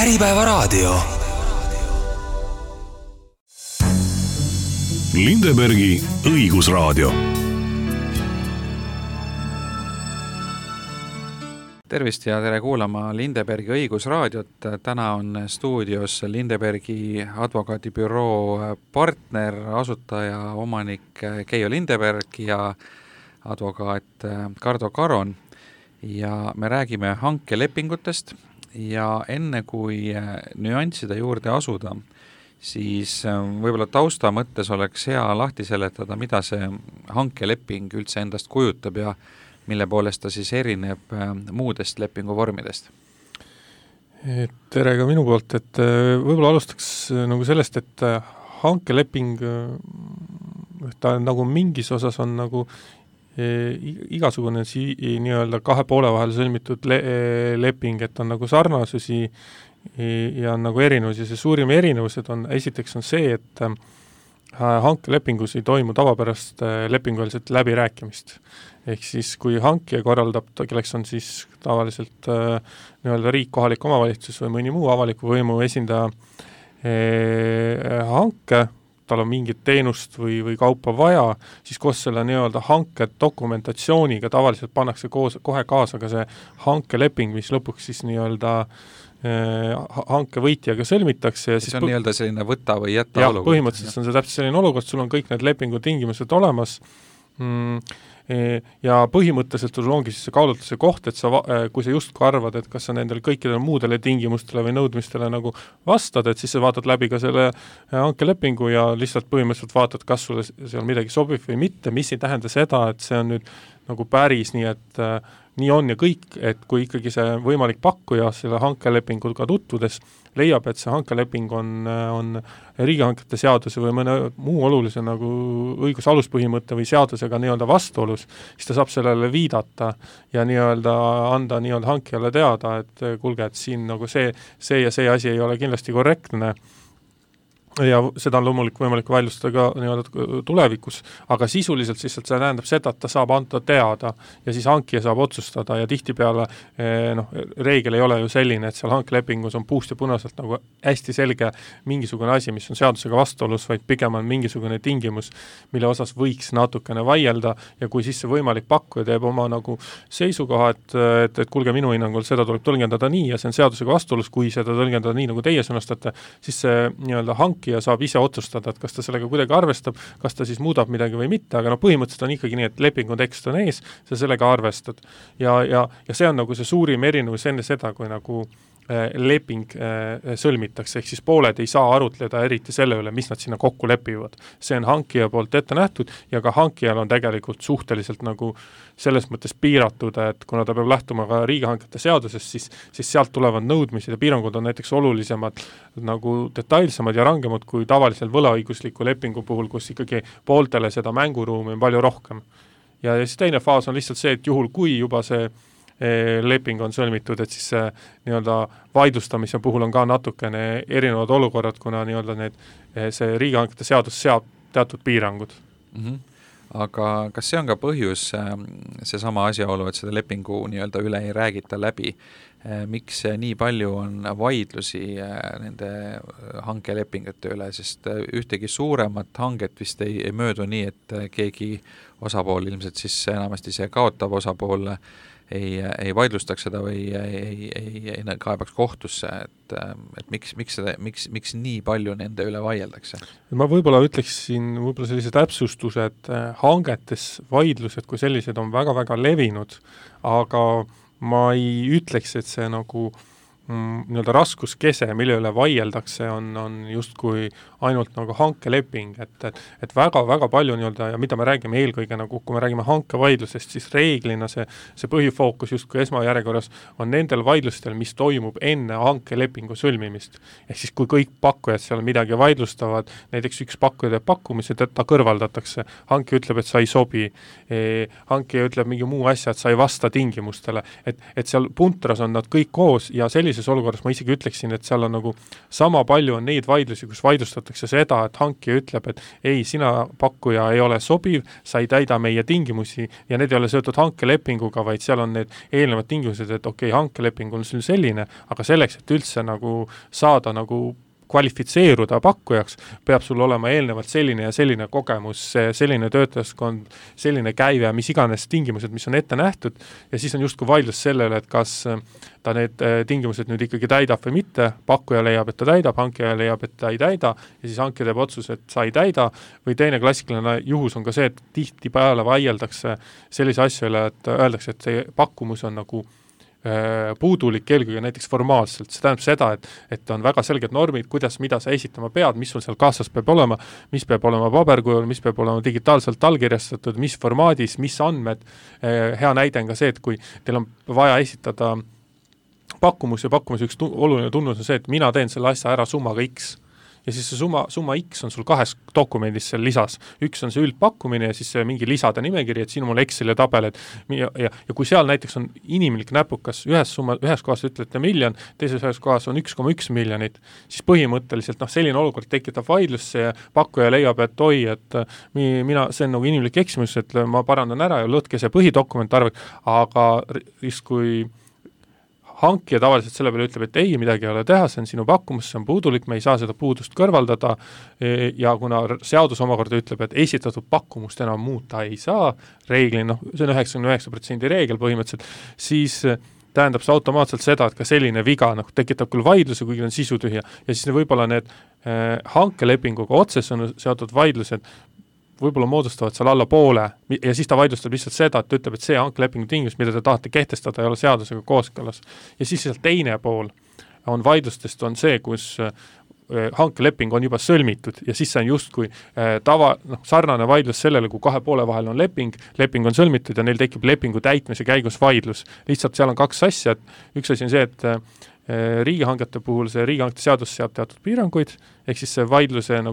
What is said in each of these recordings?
Äripäevaraadio. Lindebergi õigusraadio. Tervist ja tere kuulama Lindebergi õigusraadiot. Täna on stuudios Lindebergi advokaadibüroo partner, asutaja, omanik Keijo Lindeberg ja advokaat Kardo Karon. Ja me räägime hankelepingutest ja enne kui nüansside juurde asuda, siis võib-olla tausta mõttes oleks hea lahti seletada, mida see hankeleping üldse endast kujutab ja mille poolest ta siis erineb muudest lepinguvormidest? Tere ka minu poolt, et võib-olla alustaks nagu sellest, et hankeleping ta nagu mingis osas on nagu igasugune nii-öelda kahe poole vahel sõlmitud leping, et on nagu sarnasusi ja on nagu erinevusi. See suurim erinevused on, esiteks on see, et hankelepingus ei toimu tavapärast lepinguväliselt läbirääkimist. Ehk siis, kui hankija korraldab, kelleks on siis tavaliselt nii-öelda riik, kohalik omavalitsus või mõni muu avaliku võimu esindaja hanke, tal on mingit teenust või kaupa vaja, siis koos selle nii-öelda hanke dokumentatsiooniga tavaliselt pannakse kohe kaasa ka see hankeleping, mis lõpuks siis nii-öelda hanke võitjaga sõlmitakse. Ja see on nii-öelda selline võta või jätta olukord. Põhimõtteliselt on see täpselt selline olukord, sul on kõik need lepingu tingimused olemas ja põhimõtteliselt sul ongi siis see kaalutluse koht, et kui sa justkui arvad, et kas sa nendele kõikidele muudele tingimustele või nõudmistele nagu vastad, et siis sa vaatad läbi ka selle hankelepingu ja lihtsalt põhimõtteliselt vaatad, kas sulle seal midagi sobib või mitte, mis ei tähenda seda, et see on nüüd nagu päris nii, et nii on ja kõik, et kui ikkagi see võimalik pakkuja selle hankelepinguga tutvudes leiab, et see hankeleping on riigihankete seaduse või mõne muu olulise nagu õigusaluspõhimõtte või seadusega nii-öelda vastuolus, siis ta saab sellele viidata ja nii-öelda anda nii-öelda hankijale teada, et kuulge, et siin nagu see ja see asi ei ole kindlasti korrektne. Ja seda on loomulikult võimalik väljustada ka nii-öelda tulevikus, aga sisuliselt siis see tähendab seda, et ta saab anda teada ja siis hankija saab otsustada ja tihtipeale reegel ei ole ju selline, et seal hankelepingus on puust ja punaselt nagu hästi selge mingisugune asi, mis on seadusega vastuolus, vaid pigem on mingisugune tingimus, mille osas võiks natukene vaielda ja kui siis see võimalik pakkuja teeb oma nagu seisukoha, et kuulge, minu hinnangul seda tuleb tõlgendada nii ja see on seadusega vastuolus, kui seda tõlgendada nii, nagu teie sõnastate, siis see nii-öelda ja saab ise otsustada, et kas ta sellega kuidagi arvestab, kas ta siis muudab midagi või mitte, aga põhimõtteliselt on ikkagi nii, et lepingu tekst on ees, sa sellega arvestad. Ja see on nagu see suurim erinevus enne seda, kui nagu leping sõlmitakse, ehk siis pooled ei saa arutleda eriti selle üle, mis nad sinna kokku lepivad. See on hankija poolt ette nähtud ja ka hankijal on tegelikult suhteliselt nagu selles mõttes piiratud, et kuna ta peab lähtuma ka riigihankete seadusest, siis sealt tulevad nõudmised ja piirangud on näiteks olulisemad, nagu detailsemad ja rangemad kui tavalisel võlaõigusliku lepingu puhul, kus ikkagi pooltele seda mänguruumi on palju rohkem. Ja siis teine faas on lihtsalt see, et juhul kui juba see leping on sõlmitud, et siis nii-öelda vaidlustamise puhul on ka natukene erinevad olukorrad, kuna nii-öelda see riigihankete seadus seab teatud piirangud. Aga kas see on ka põhjus, see sama asjaolu, et seda lepingu nii-öelda üle ei räägita läbi, miks nii palju on vaidlusi nende hankelepingute üle, sest ühtegi suuremat hanget vist ei möödu nii, et keegi osapool, ilmselt siis enamasti see kaotav osapool ei vaidlustaks seda või ei kaebaks kohtusse, et miks nii palju nende üle vaieldakse? Ma võib-olla ütleksin sellise täpsustuse, et hangetes vaidlused kui sellised on väga-väga levinud, aga ma ei ütleks, et see nagu nii-öelda raskuskese, mille üle vaieldakse, on justkui ainult nagu hankeleping, et väga-väga palju nii-öelda, ja mida me räägime eelkõige nagu, kui me räägime hankevaidlusest, siis reeglina see põhifookus justkui esmajärjekorras on nendel vaidlustel, mis toimub enne hankelepingu sõlmimist. Ehk siis, kui kõik pakkujad seal midagi vaidlustavad, näiteks üks pakkuja teeb pakkumise, ta kõrvaldatakse, hanke ütleb, et sa ei sobi, hanke ütleb mingi muu asja, et sa ei vasta tingimustele, et seal puntras on nad kõik koos ja sellises sellises olukorras ma isegi ütleksin, et seal on nagu sama palju on neid vaidlusi, kus vaidlustatakse seda, et hankija ütleb, et ei, sina pakkuja ei ole sobiv, sa ei täida meie tingimusi ja need ei ole seotud hankelepinguga, vaid seal on need eelnevad tingimused, et okei, hankeleping on selline, aga selleks, et üldse nagu saada nagu kvalifitseeruda pakkujaks, peab sul olema eelnevalt selline ja selline kogemus, selline töötajaskond, selline käive, mis iganes tingimused, mis on ette nähtud ja siis on justkui vaidlus sellele, et kas ta need tingimused nüüd ikkagi täidab või mitte, pakkuja leiab, et ta täidab, hankija leiab, et ta ei täida ja siis hankija teeb otsus, et sa ei täida või teine klassikaline juhus on ka see, et tihtipeale vaieldakse sellise asja üle, et öeldakse, et see pakkumus on nagu puudulik eelkõige näiteks formaalselt, see tähendab seda, et on väga selged normid, kuidas, mida sa esitama pead, mis sul seal kaasas peab olema, mis peab olema paberkujul, mis peab olema digitaalselt allkirjastatud, mis formaadis, mis andmed, hea näide on ka see, et kui teil on vaja esitada pakkumus ja pakkumus üks oluline tunnus on see, et mina teen selle asja ära summaga X ja siis see summa X on sul 2 dokumendis seal lisas. Üks on see üldpakkumine ja siis see mingi lisade nimekiri, et siin on mul Exceli tabel, ja kui seal näiteks on inimlik näpukas, ühes kohas ütlete 1 miljon, teises kohas on 1,1 miljonit, siis põhimõtteliselt selline olukord tekitab vaidlusse ja pakkuja leiab, et oi, et see on nagu inimlik eksimus, et ma parandan ära ja lõtke see põhidokument arveg, aga kui hankija tavaliselt selle peale ütleb, et ei, midagi ei ole teha, see on sinu pakkumus, see on puudulik, me ei saa seda puudust kõrvaldada ja kuna seadus omakorda ütleb, et esitatud pakkumust enam muuta ei saa, reeglina, see on 99% reegel põhimõtteliselt, siis tähendab see automaatselt seda, et ka selline viga tekitab küll vaidluse, kuigi on sisutühja ja siis võib-olla need hankelepinguga otsesõnu seotud vaidlused võib-olla moodustavad seal alla poole ja siis ta vaidlustab lihtsalt seda, et ütleb, et see hankelepingu tingimus, mida te tahate kehtestada, ei ole seadusega kooskõlas. Ja siis seal teine pool on vaidlustest on see, kus hankeleping on juba sõlmitud ja siis see on justkui sarnane vaidlus sellele, kui 2 poole vahel on leping on sõlmitud ja neil tekib lepingu täitmise käigus vaidlus. Lihtsalt seal on 2 asja, et üks asi on see, et riigihangete puhul see riigihangete seadus seab teatud piiranguid, ehk siis see vaidluse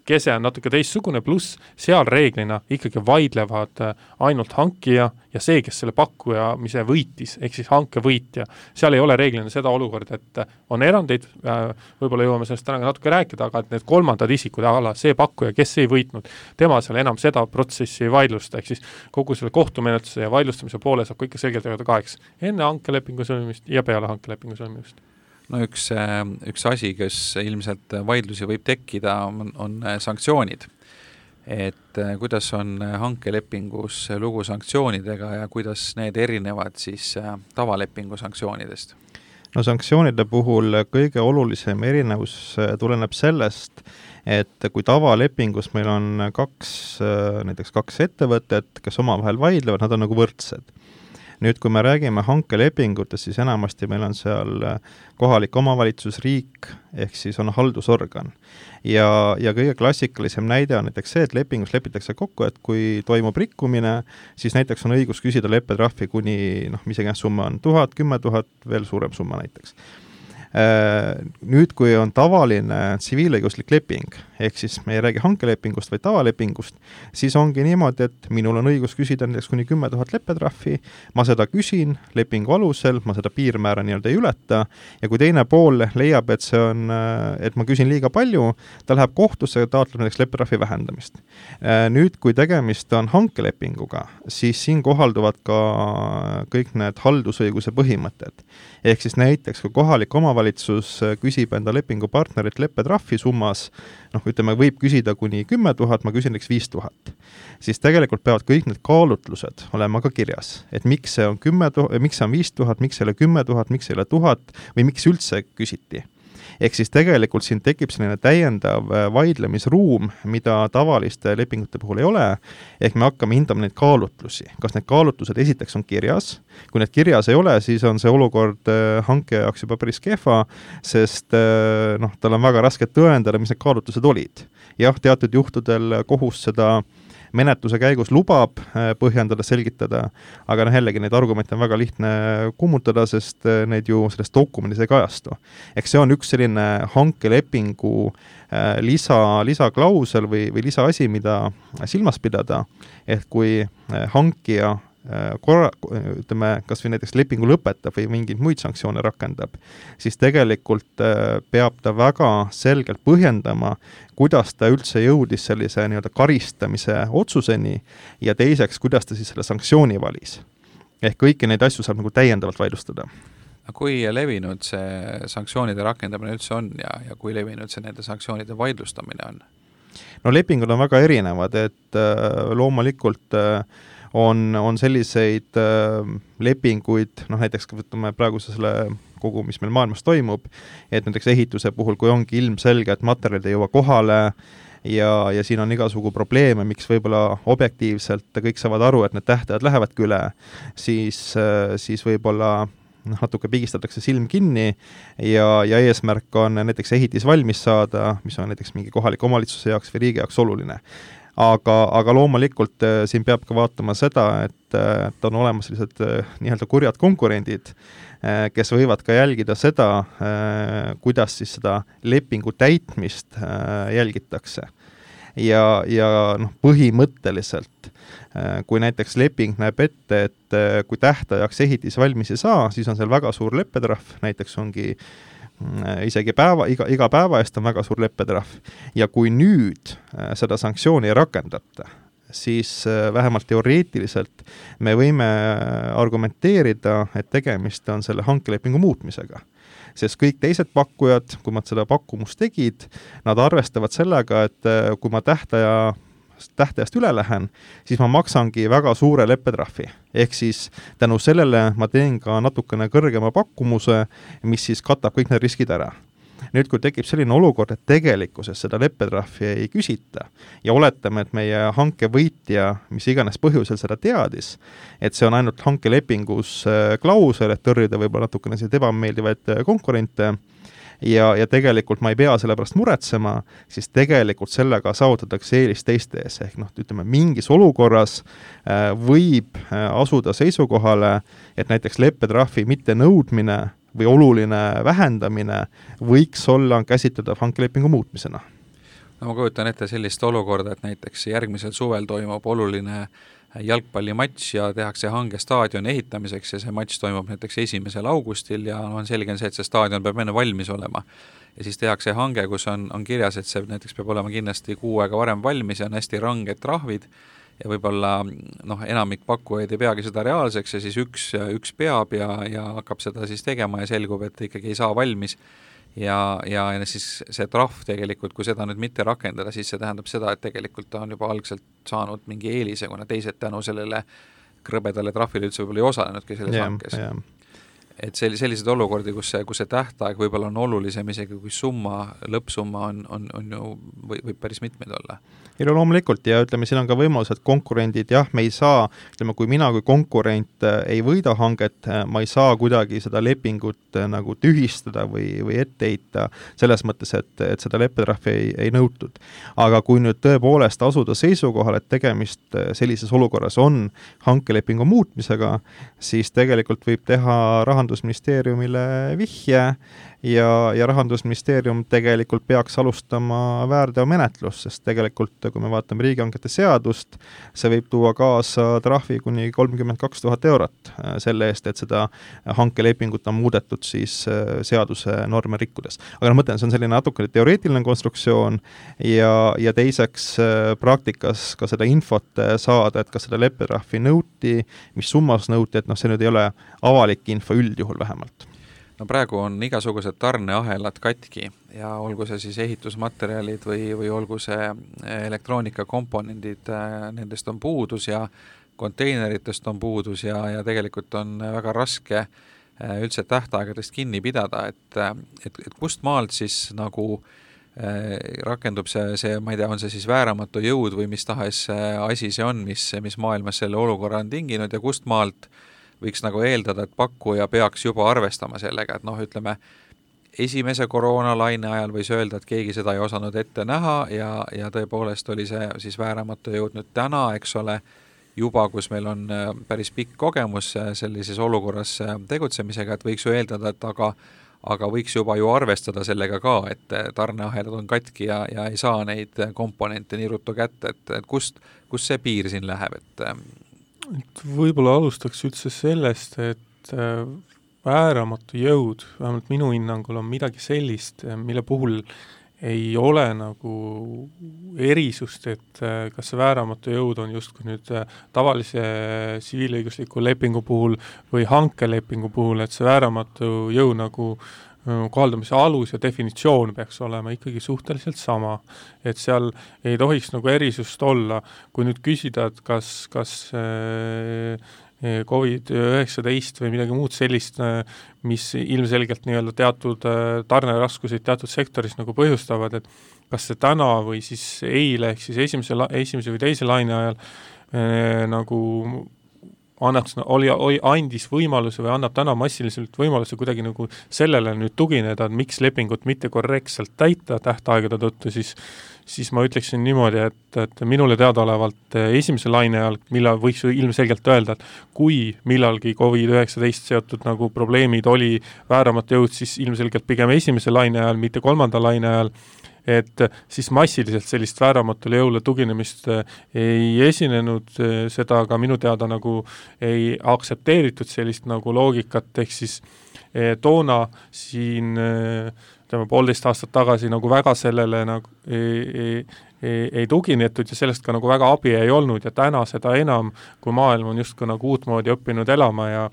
kese on natuke teistsugune, pluss seal reeglina ikkagi vaidlevad ainult hankija ja see, kes selle pakkuja, mis võitis, ehk siis hanke võitja. Seal ei ole reeglina seda olukorda, et on erandeid, võib-olla jõuame sellest täna natuke rääkida, aga et need kolmandad isikud, see pakkuja, kes ei võitnud, tema seal enam seda protsessi ei vaidlusta, ehk siis kogu selle kohtumenetluse ja vaidlustamise poole saab kõik selgelt jagada 2. Enne hankelepingu sõlmimist ja peale hankelepingu sõlmimist. No üks asi, kes ilmselt vaidlusi võib tekkida, on sanktsioonid. Et kuidas on hankelepingus lugu sanktsioonidega ja kuidas need erinevad siis tavalepingu sanktsioonidest? No sanktsioonide puhul kõige olulisem erinevus tuleneb sellest, et kui tavalepingus meil on näiteks 2 ettevõtet, kes omavahel vaidlevad, nad on nagu võrdsed. Nüüd, kui me räägime hankelepingutest, siis enamasti meil on seal kohalik omavalitsus, riik, ehk siis on haldusorgan. Ja kõige klassikalisem näide on näiteks see, et lepingus lepitakse kokku, et kui toimub rikkumine, siis näiteks on õigus küsida leppetrahvi kuni, mis iganes summa on 1000, 10 000, veel suurem summa näiteks. Nüüd, kui on tavaline tsiviilõiguslik leping, ehk siis me ei räägi hankelepingust või tavalepingust, siis ongi niimoodi, et minul on õigus küsida näiteks kuni 10 000 leppetrahvi, ma seda küsin lepingu alusel, ma seda piirmäära nii-öelda ei ületa ja kui teine pool leiab, et ma küsin liiga palju, ta läheb kohtusse ja taotleb näiteks leppetrahvi vähendamist. Nüüd, kui tegemist on hankelepinguga, siis siin kohalduvad ka kõik need haldusõiguse põhimõtted. Ehk siis näiteks, kui kohalik omavalitsus küsib enda lepingupartnerit leppetrahvi summas, võib küsida kuni 10 000, ma küsin näiteks 5 000. Siis tegelikult peavad kõik need kaalutlused olema ka kirjas, et miks see on 5 000, miks ei ole 10 000, miks ei ole 1000 või miks üldse küsiti. Ehk siis tegelikult siin tekib selline täiendav vaidlemisruum, mida tavaliste lepingute puhul ei ole, ehk me hakkame hindama neid kaalutlusi. Kas need kaalutlused esiteks on kirjas? Kui need kirjas ei ole, siis on see olukord hanke jaoks juba päris kehva, sest tal on väga raske tõendada, mis need kaalutlused olid. Jah, teatud juhtudel kohus seda menetluse käigus lubab põhjendada, selgitada, aga jällegi neid argumente on väga lihtne kummutada, sest neid ju selles dokumendis ei kajastu. Eks see on üks selline hankelepingu lisaklausel või lisaasi, mida silmas pidada, et kui hankija kas või näiteks lepingu lõpetab või mingeid muid sanktsioone rakendab, siis tegelikult peab ta väga selgelt põhjendama, kuidas ta üldse jõudis sellise nii-öelda karistamise otsuseni ja teiseks, kuidas ta siis selle sanktsiooni valis. Ehk kõiki neid asju saab nagu täiendavalt vaidlustada. Kui levinud see sanktsioonide rakendamine üldse on ja kui levinud see nende sanktsioonide vaidlustamine on? No lepingud on väga erinevad, et loomulikult on selliseid lepinguid, näiteks võtame praegu selle kogu, mis meil maailmas toimub, et näiteks ehituse puhul, kui ongi ilmselge, et materjalid ei jõua kohale ja siin on igasugu probleeme, miks võib-olla objektiivselt kõik saavad aru, et need tähtajad lähevadki üle, siis võib-olla natuke pigistatakse silm kinni ja eesmärk on näiteks ehitis valmis saada, mis on näiteks mingi kohaliku omavalitsuse jaoks või riigi jaoks oluline. Aga loomulikult siin peab ka vaatama seda, et on olemas sellised nii-öelda kurjad konkurendid, kes võivad ka jälgida seda, kuidas siis seda lepingu täitmist jälgitakse. Ja põhimõtteliselt, kui näiteks leping näeb ette, et kui tähtajaks ehitis valmis ei saa, siis on seal väga suur leppetrahv, näiteks ongi isegi iga päeva eest on väga suur leppetrahv. Ja kui nüüd seda sanktsiooni ei rakendata, siis vähemalt teoreetiliselt me võime argumenteerida, et tegemist on selle hankelepingu muutmisega. Sest kõik teised pakkujad, kui nad seda pakkumust tegid, nad arvestavad sellega, et kui ma tähtajast üle lähen, siis ma maksangi väga suure leppetrahvi. Ehk siis tänu sellele ma teen ka natukene kõrgema pakkumuse, mis siis katab kõik need riskid ära. Nüüd, kui tekib selline olukord, et tegelikkuses seda leppetrahvi ei küsita ja oletame, et meie hankevõitja, mis iganes põhjusel seda teadis, et see on ainult hankelepingus klausel, et tõrjuda võib-olla natukene sellised ebameeldivaid konkurente ja tegelikult ma ei pea selle pärast muretsema, siis tegelikult sellega saavutatakse eelis teiste ees. Ehk ütleme, mingis olukorras võib asuda seisukohale, et näiteks leppetrahvi mitte nõudmine või oluline vähendamine võiks olla käsitleda hankelepingu muutmisena. No ma kujutan ette sellist olukorda, et näiteks järgmisel suvel toimub oluline jalgpallimatš ja tehakse hange staadioni ehitamiseks ja see matš toimub näiteks 1. augustil ja on selge see, et see staadion peab enne valmis olema. Ja siis tehakse hange, kus on kirjas, et see näiteks peab olema kindlasti 6 aega varem valmis ja on hästi ranged trahvid ja võib-olla enamik pakkujaid ei peagi seda reaalseks ja siis üks peab ja hakkab seda siis tegema ja selgub, et ikkagi ei saa valmis ja siis see trahv tegelikult, kui seda nüüd mitte rakendada, siis see tähendab seda, et tegelikult ta on juba algselt saanud mingi eelise, kuna teised tänu sellele krõbedale trahvile üldse võib-olla ei osalenudki selles hankes. Et sellised olukordi, kus see tähtaeg võib-olla on olulisem isegi kui lõppsumma on ju, võib päris mitmeid olla. Ja loomulikult ja ütleme, siin on ka võimalus, et konkurendid, me ei saa, ütleme, kui mina kui konkurent ei võida hanget, ma ei saa kuidagi seda lepingut nagu tühistada või etteheita selles mõttes, et seda leppetrahvi ei nõutud. Aga kui nüüd tõepoolest asuda seisukohal, et tegemist sellises olukorras on hankelepingu muutmisega, siis tegelikult võib teha Rahandusministeeriumile vihje ja Rahandusministeerium tegelikult peaks alustama väärteomenetlust, sest tegelikult, kui me vaatame riigihangete seadust, see võib tuua kaasa trahvi kuni 32 000 eurot selle eest, et seda hankelepingut on muudetud siis seaduse norme rikkudes. Aga mõtlen, see on selline natukene teoreetiline konstruktsioon ja teiseks praktikas ka seda infot saada, et kas seda leppetrahvi nõuti, mis summas nõuti, et see nüüd ei ole avalik info üldjuhul vähemalt. No praegu on igasugused tarneahelad katki ja olgu see siis ehitusmaterjalid või olgu see elektroonikakomponendid, nendest on puudus ja konteineritest on puudus ja tegelikult on väga raske üldse tähtaegadest kinni pidada, et kust maalt siis nagu rakendub see, ma ei tea, on see siis vääramatu jõud või mis tahes asi see on, mis maailmas selle olukorra on tinginud ja kust maalt võiks nagu eeldada, et pakkuja peaks juba arvestama sellega, et ütleme, esimese koroonalaine ajal võis öelda, et keegi seda ei osanud ette näha ja tõepoolest oli see siis vääramatu jõud nüüd täna, eks ole, juba kus meil on päris pikk kogemus sellises olukorras tegutsemisega, et võiks ju eeldada, et aga võiks juba ju arvestada sellega ka, et tarneahelad on katki ja ei saa neid komponente nii ruttu kätte, et kust see piir siin läheb, et Võib-olla alustaks üldse sellest, et vääramatu jõud, vähemalt minu hinnangul on midagi sellist, mille puhul ei ole nagu erisust, et kas see vääramatu jõud on justkui nüüd tavalise tsiviilõigusliku lepingu puhul või hankelepingu puhul, et see vääramatu jõud nagu kohaldamise alus ja definitsioon peaks olema ikkagi suhteliselt sama. Et seal ei tohiks nagu erisust olla. Kui nüüd küsida, et kas COVID-19 või midagi muud sellist, mis ilmselgelt nii-öelda teatud tarneraskuseid teatud sektoris nagu põhjustavad, et kas see täna või siis eile, ehk siis esimese või teise laine ajal nagu andis võimaluse või annab täna massiliselt võimaluse kuidagi nagu sellele nüüd tugineda, et miks lepingut mitte korrektselt täita tähtaegade tõttu, siis ma ütleksin niimoodi, et minule teadaolevalt esimese laine ajal, millal võiks ilmselgelt öelda, et kui millalgi COVID-19 seotud nagu probleemid oli vääramatu jõud, siis ilmselgelt pigem esimese laine ajal, mitte kolmanda laine ajal, et siis massiliselt sellist vääramatule jõule tuginemist ei esinenud, seda ka minu teada nagu ei aktsepteeritud sellist nagu loogikat, ehk siis toona siin 1,5 aastat tagasi nagu väga sellele nagu ei tuginetud ja sellest ka nagu väga abi ei olnud ja täna seda enam, kui maailm on justkui nagu uutmoodi õppinud elama ja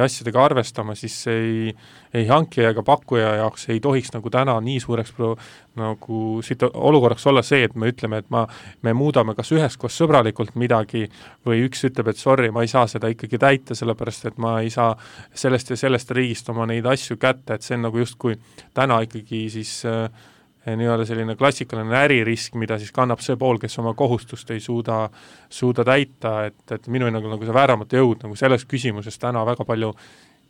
asjadega arvestama, siis ei hankija ega pakkuja jaoks ei tohiks nagu täna nii suureks nagu olukorraks olla see, et me ütleme, et me muudame kas üheskoos sõbralikult midagi või üks ütleb, et sorry, ma ei saa seda ikkagi täita, sellepärast et ma ei saa sellest ja sellest riigist oma neid asju kätte, et see on nagu justkui täna ikkagi siis nii-öelda selline klassikaline äririsk, mida siis kannab see pool, kes oma kohustust ei suuda täita, et minu hinnangul nagu see vääramatu jõud nagu selles küsimuses täna väga palju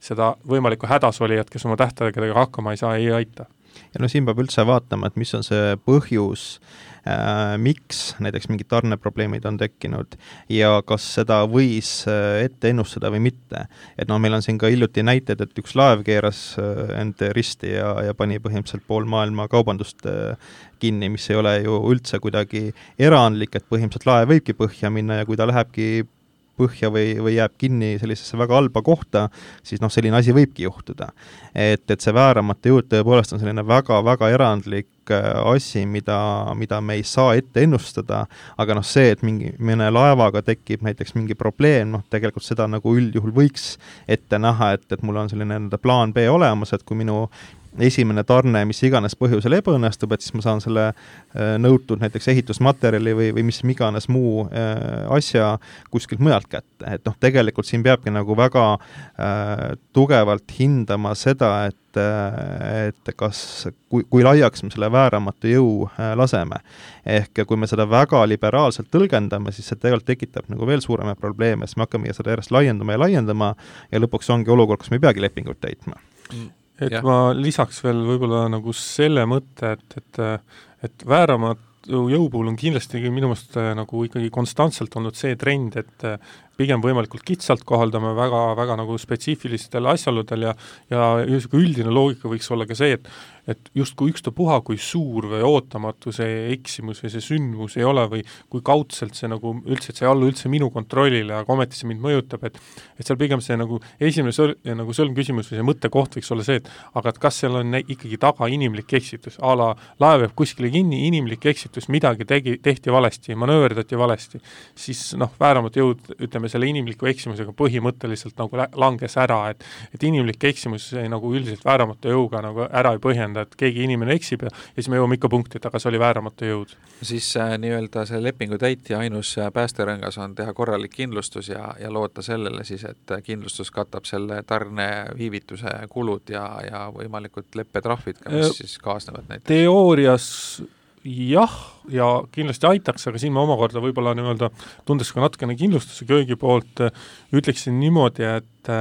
seda võimalikku hädasolijat, kes oma tähtaegadega hakkama ei saa, ei aita. Ja no siin peab üldse vaatama, et mis on see põhjus, miks näiteks mingid tarneprobleemid on tekkinud ja kas seda võis ette ennustada või mitte. Et no meil on siin ka hiljuti näited, et üks laev keeras end risti ja pani põhimõtteliselt pool maailma kaubandust kinni, mis ei ole ju üldse kuidagi erandlik, et põhimõtteliselt laev võibki põhja minna ja kui ta lähebki põhja või jääb kinni sellisesse väga halba kohta, siis noh, selline asi võibki juhtuda. Et see vääramatu jõud tõepoolest on selline väga-väga erandlik asi, mida me ei saa ette ennustada, aga noh see, et mõne laevaga tekib näiteks mingi probleem, noh tegelikult seda nagu üldjuhul võiks ette näha, et mul on selline plaan B olemas, et kui minu esimene tarne, mis iganes põhjusel ebaõnnestub, et siis ma saan selle nõutud näiteks ehitusmaterjali või mis iganes muu asja kuskilt mujalt kätte. Et noh, tegelikult siin peabki nagu väga tugevalt hindama seda, et kas, kui laiaks me selle vääramatu jõu laseme. Ehk kui me seda väga liberaalselt tõlgendame, siis see tegelikult tekitab nagu veel suurema probleeme, siis me hakkame seda järjest laiendama ja lõpuks ongi olukord, kus me ei peagi lepingut täitma. Et ma lisaks veel võib-olla nagu selle mõtte, et vääramatu jõu puhul on kindlasti minu meelest nagu ikkagi konstantselt olnud see trend, et pigem võimalikult kitsalt kohaldame väga nagu spetsiifilistel asjaoludel ja üldine loogika võiks olla ka see, et justkui ükstapuha, kui suur või ootamatu see eksimus või see sündmus ei ole või kui kaudselt see nagu üldse, et see ei allu üldse minu kontrollile, aga ometi see mind mõjutab, et seal pigem see nagu esimene nagu sõlmküsimus või see mõttekoht võiks olla see, et aga et kas seal on ikkagi taga inimlik eksitus, laev jääb kuskile kinni, inimlik eksitus, midagi tehti valesti, manööverdati valesti, siis noh, vääramatu jõud, ütleme, selle inimliku eksimusega põhimõtteliselt nagu langes ära, et inimlik eksimus nagu üldiselt vääramatu jõuga nagu ära ei põhjenda, et keegi inimene eksib ja siis me jõuame ikka punkti, et aga see oli vääramatu jõud. Siis nii-öelda see lepingu täitja ainus päästerõngas on teha korralik kindlustus ja loota sellele siis, et kindlustus katab selle tarne viivituse kulud ja võimalikud leppetrahvid, mis siis kaasnevad näiteks. Teoorias jah, ja kindlasti aitaks, aga siin ma omakorda võib-olla nii-öelda tundes ka natukene kindlustuse köögi poolt ütleksin niimoodi, et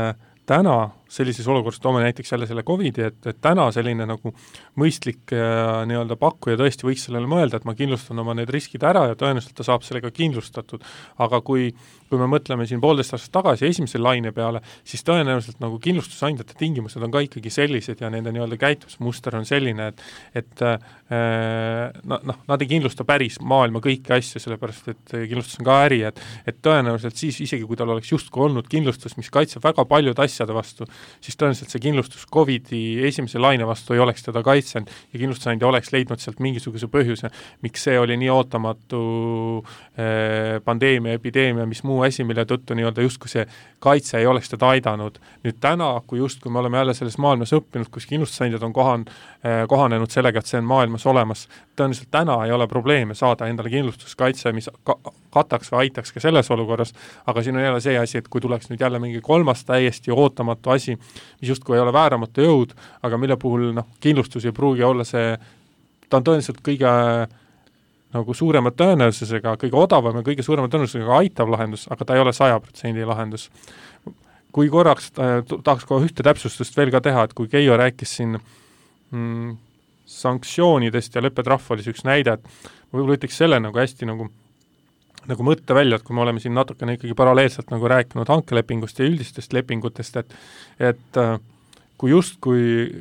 täna sellises olukorras toome näiteks jälle selle COVID-i, et täna selline nagu mõistlik nii-öelda pakkuja tõesti võiks sellele mõelda, et ma kindlustan oma need riskid ära ja tõenäoliselt ta saab sellega kindlustatud. Aga kui me mõtleme siin 1,5 aastat tagasi esimese laine peale, siis tõenäoliselt nagu kindlustusandjate tingimused on ka ikkagi sellised ja nende nii-öelda käitumismuster on selline, et nad ei kindlusta päris maailma kõiki asju, sellepärast et kindlustus on ka äri, et tõenäoliselt siis isegi kui tal oleks justkui olnud kindlustus, mis kaitseb väga paljude asjade vastu, siis tõenäoliselt see kindlustus COVID-i esimese laine vastu ei oleks teda kaitsenud ja kindlustusandja oleks leidnud sealt mingisuguse põhjuse, miks see oli nii ootamatu pandeemia, epideemia, mis muu asi, mille tõttu nii-öelda justkui see kaitse ei oleks teda aidanud. Nüüd täna, kui justkui me oleme jälle selles maailmas õppinud, kus kindlustusandjad on kohanenud sellega, et see on maailmas olemas, tõenäoliselt täna ei ole probleeme saada endale kindlustuskaitse, mis kataks või aitaks ka selles olukorras, aga siin on jälle see asi, et kui tuleks nüüd jälle mingi kolmas täiesti ootamatu asi, mis justkui ei ole vääramatu jõud, aga mille puhul kindlustus ei pruugi olla see, ta on tõenäoliselt kõige nagu suurema tõenäosusega, kõige odavam ja kõige suurema tõenäosusega aitav lahendus, aga ta ei ole 100% lahendus. Kui korraks tahaks kohe ühte täpsustust veel ka teha, et kui Keijo rääkis siin sanktsioonidest ja leppetrahv oli üks näide, et ma võib-olla ütleks selle nagu hästi nagu mõtte välja, et kui me oleme siin natukene ikkagi paralleelselt nagu rääkinud hankelepingust ja üldistest lepingutest, et kui justkui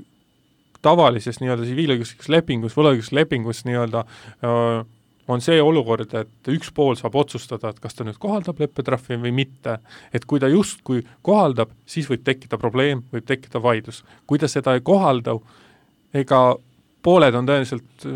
tavalises nii-öelda tsiviilõiguslikus lepingus, võlaõiguslepingus nii-öelda on see olukord, et üks pool saab otsustada, et kas ta nüüd kohaldab leppetrahvi või mitte. Et kui ta justkui kohaldab, siis võib tekkida probleem, võib tekkida vaidlus. Kui ta seda ei kohalda, ega pooled on tõenäoliselt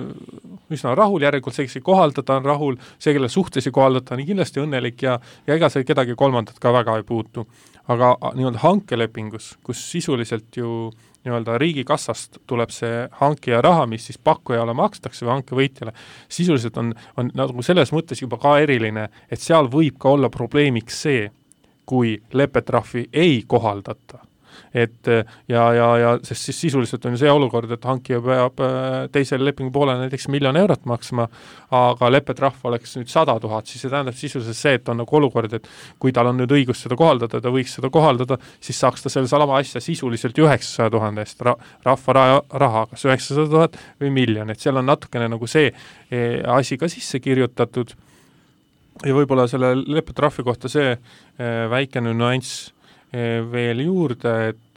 üsna rahul, järelikult see, kes ei kohaldada, on rahul, see, kelle suhtes ei kohaldata, on kindlasti õnnelik ja ega see kedagi kolmandat ka väga ei puutu. Aga nii-öelda hankelepingus, kus sisuliselt ju nii-öelda riigikassast tuleb see hankija raha, mis siis pakkujale makstakse või hankevõitjale, sisuliselt on nagu selles mõttes juba ka eriline, et seal võib ka olla probleemiks see, kui leppetrahvi ei kohaldata. Et ja sest siis sisuliselt on see olukord, et hankija peab teisele lepingu poole näiteks 1 000 000 eurot maksma, aga leppetrahv oleks nüüd 100 000, siis see tähendab sisuliselt see, et on nagu olukord, et kui tal on nüüd õigus seda kohaldada, ta võiks seda kohaldada, siis saaks ta selle salama asja sisuliselt 900 000 eest rahva raha, kas 900 000 või 1 000 000, et seal on natukene nagu see asi ka sisse kirjutatud ja võib-olla selle leppetrahvi kohta see väikene nüanss veel juurde, et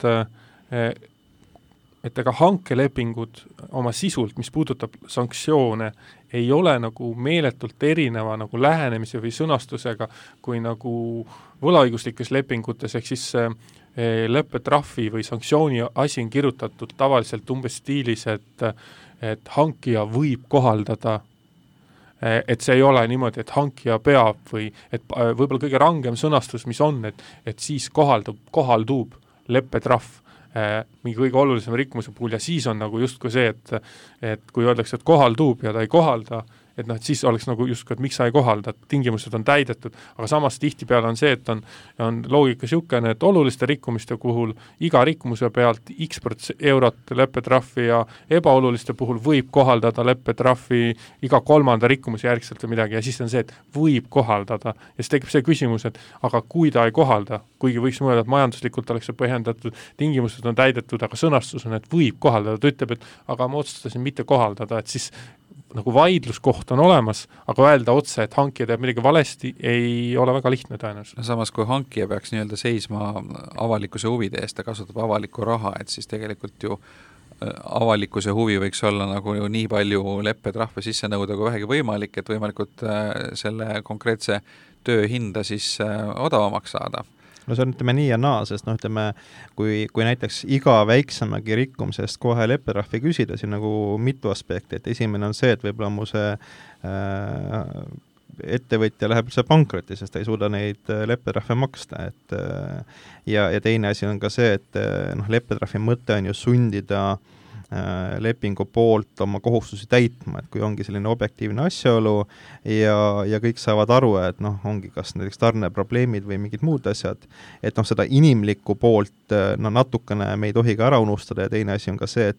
ega hankelepingud oma sisult, mis puudutab sanktsioone, ei ole nagu meeletult erineva nagu lähenemise või sõnastusega kui nagu võlaõiguslikes lepingutes, ehk siis leppetrahvi või sanktsiooni asi on kirjutatud tavaliselt umbes stiilis, et hankija võib kohaldada, et see ei ole niimoodi, et hankija peab või et võib-olla kõige rangem sõnastus, mis on, et siis kohaldub leppetrahv mingi kõige olulisem rikkumuse puhul ja siis on nagu justkui see, et kui öeldakse, et kohaldub ja ta ei kohalda, et siis oleks nagu justkui, et miks sa ei kohalda, tingimused on täidetud, aga samas tihtipeale on see, et on loogika siukene, et oluliste rikkumiste puhul iga rikkumuse pealt x% eurot leppetrahvi ja ebaoluliste puhul võib kohaldada leppetrahvi iga 3. rikkumuse järgselt või midagi ja siis on see, et võib kohaldada ja siis tekib see küsimus, et aga kui ta ei kohalda, kuigi võiks mõelda, et majanduslikult oleks see põhjendatud, tingimused on täidetud, aga sõnastus on, et võib kohaldada, ta ütleb, et aga ma otsustasin mitte kohaldada, et siis nagu vaidluskoht on olemas, aga öelda otse, et hankija teeb midagi valesti, ei ole väga lihtne tõenäoliselt. Samas, kui hankija peaks nii-öelda seisma avalikkuse huvide eest ja kasutab avalikku raha, et siis tegelikult ju avalikkuse huvi võiks olla nagu nii palju leppetrahve sisse nõuda kui vähegi võimalik, et võimalikult selle konkreetse töö hinda siis odavamaks saada. No see on, ütleme, nii ja naa, sest kui näiteks iga väiksemagi rikkumisest kohe leppetrahvi küsida, siin nagu mitu aspekti, et esimene on see, et võib-olla mu see ettevõtja läheb üldse pankrotti, sest ta ei suuda neid leppetrahve maksta, ja teine asi on ka see, et leppetrahvi mõte on ju sundida lepingu poolt oma kohustusi täitma, et kui ongi selline objektiivne asjaolu ja kõik saavad aru, et ongi kas näiteks tarneprobleemid või mingid muud asjad, et seda inimlikku poolt natukene me ei tohi ka ära unustada ja teine asi on ka see,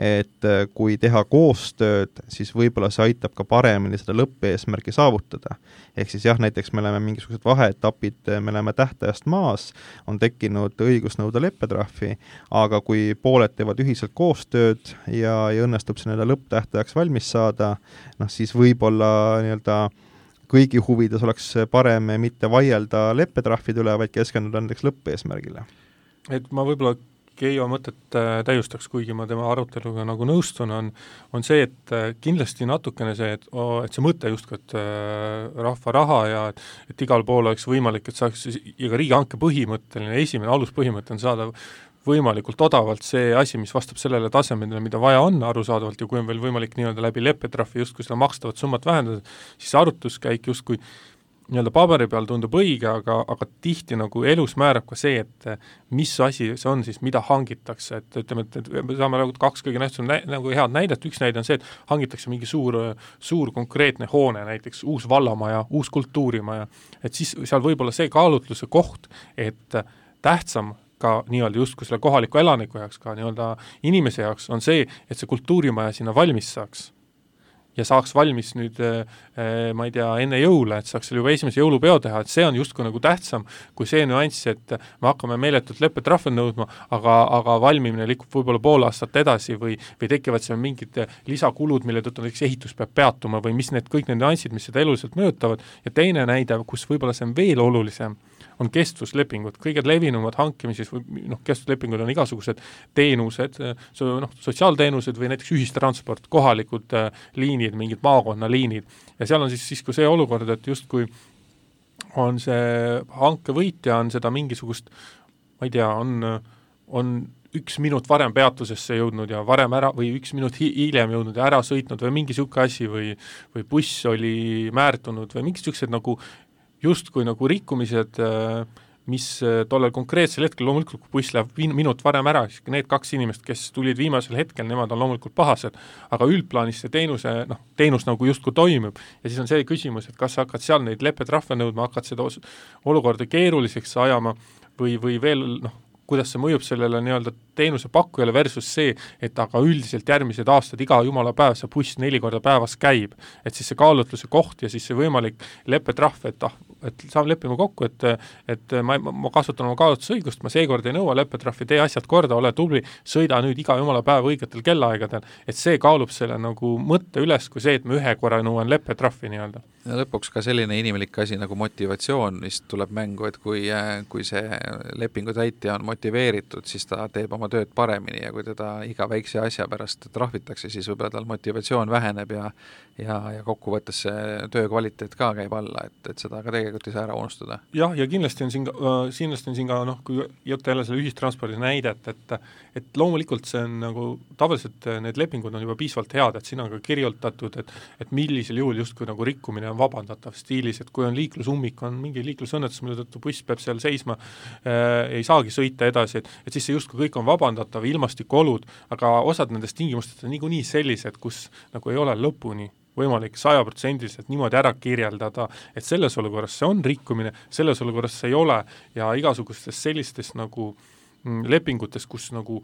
et kui teha koostööd, siis võib-olla see aitab ka paremini seda lõppeesmärgi saavutada. Ehk siis jah, näiteks me oleme mingisugused vaheetapid, me oleme tähtajast maas, on tekkinud õigus nõuda leppetrahvi, aga kui pooled teevad ühiselt koostööd ja õnnestub see lõpptähtajaks valmis saada, siis võib-olla kõigi huvides oleks parem mitte vaielda leppetrahvide üle, vaid keskenduda näiteks lõppeesmärgile. Et ma võib-olla Keijo mõtet täiustaks, kuigi ma tema aruteluga nagu nõustun, on see, et kindlasti natukene see, et see mõte justkui, et rahva raha ja et igal pool oleks võimalik, et saaks ja ka riigihanke põhimõtteline, esimene aluspõhimõte on saada võimalikult odavalt see asi, mis vastab sellele tasemele, mida vaja on arusaadavalt ja kui on veel võimalik nii-öelda läbi leppetrahvi justkui seda makstavat summat vähendada, siis arutluskäik justkui nii-öelda paberi peal tundub õige, aga tihti nagu elus määrab ka see, et mis asi see on siis, mida hangitakse, et ütleme, et me saame kaks kõige nähtusem nagu head näidet, üks näide on see, et hangitakse mingi suur konkreetne hoone, näiteks uus vallamaja, uus kultuurimaja, et siis seal võib-olla see kaalutluse koht, et tähtsam ka nii-öelda justkui selle kohaliku elaniku jaoks, ka nii-öelda inimese jaoks on see, et see kultuurimaja sinna valmis saaks. Ja saaks valmis nüüd, ma ei tea, enne jõule, et saaks selle juba esimese jõulupeo teha, et see on justkui nagu tähtsam kui see nüanss, et me hakkame meeletult leppetrahve nõudma, aga valmimine liikub võib-olla pool aastat edasi või tekivad seal mingid lisakulud, mille tõttu näiteks ehitus peab peatuma või mis kõik need nüansid, mis seda eluliselt mõjutavad. Ja teine näide, kus võib-olla see on veel olulisem, on kestvuslepingud. Kõige levinumad hankimises või kestvuslepingud on igasugused teenused, sotsiaalteenused või näiteks ühistransport, kohalikud liinid, mingid maakonnaliinid. Ja seal on siis kui see olukord, et justkui on see hankevõitja, on seda mingisugust, ma ei tea, on 1 minut varem peatusesse jõudnud ja varem ära või 1 minut hiljem jõudnud ja ära sõitnud või mingi siuke asi või buss oli määrtunud või mingi siuksed nagu justkui nagu rikkumised, mis tollel konkreetsel hetkel loomulikult, kui buss läheb minut varem ära, siis need 2 inimest, kes tulid viimasel hetkel, nemad on loomulikult pahased, aga üldplaanis see teenus nagu justkui toimub. Ja siis on see küsimus, et kas sa hakkad seal neid leppetrahve nõudma, hakkad seda olukorda keeruliseks ajama või veel, kuidas see mõjub sellele nii-öelda teenuse pakkujale versus see, et aga üldiselt järgmised aastad iga jumala päev see buss 4 korda päevas käib, et siis see kaalutluse koht ja siis see võimalik leppetrahv, et saame leppima kokku, et ma kasutan oma kaalutlusõigust, ma seekord ei nõua leppetrahvi, tee asjad korda, ole tubli, sõida nüüd iga jumala päev õigetel kellaaegadel, et see kaalub selle nagu mõtte üles, kui see, et ma ühe korra nõuan leppetrahvi nii-öelda. Ja lõpuks ka selline inimlik asi nagu motivatsioon, mis tuleb mängu, et kui see lepingu täitja on motiveeritud, siis ta teeb oma tööd paremini ja kui teda iga väikse asja pärast trahvitakse, siis võib-olla tal motivatsioon väheneb ja kokkuvõttes see töö kvaliteet ka käib alla, et seda ka tegelikult ei saa ära unustada. Jah, ja kindlasti on siin ka kui jutt jälle selle ühistranspordi näidet, et loomulikult see on nagu tavaliselt need lepingud on juba piisavalt head, et siin on ka kirjutatud, et millisel juhul justkui nagu rikkumine on vabandatav stiilis, et kui on liiklusummik, on mingi liiklusõnnetus, mille tõttu buss peab seal seisma, ei saagi sõita edasi, et siis see justkui kõik on vabandatav, ilmastikuolud, aga osad nendest tingimustest on niikuinii sellised, kus nagu ei ole lõpuni võimalik 100% niimoodi ära kirjeldada, et selles olukorras see on rikkumine, selles olukorras see ei ole ja igasugustes sellistes nagu lepingutes, kus nagu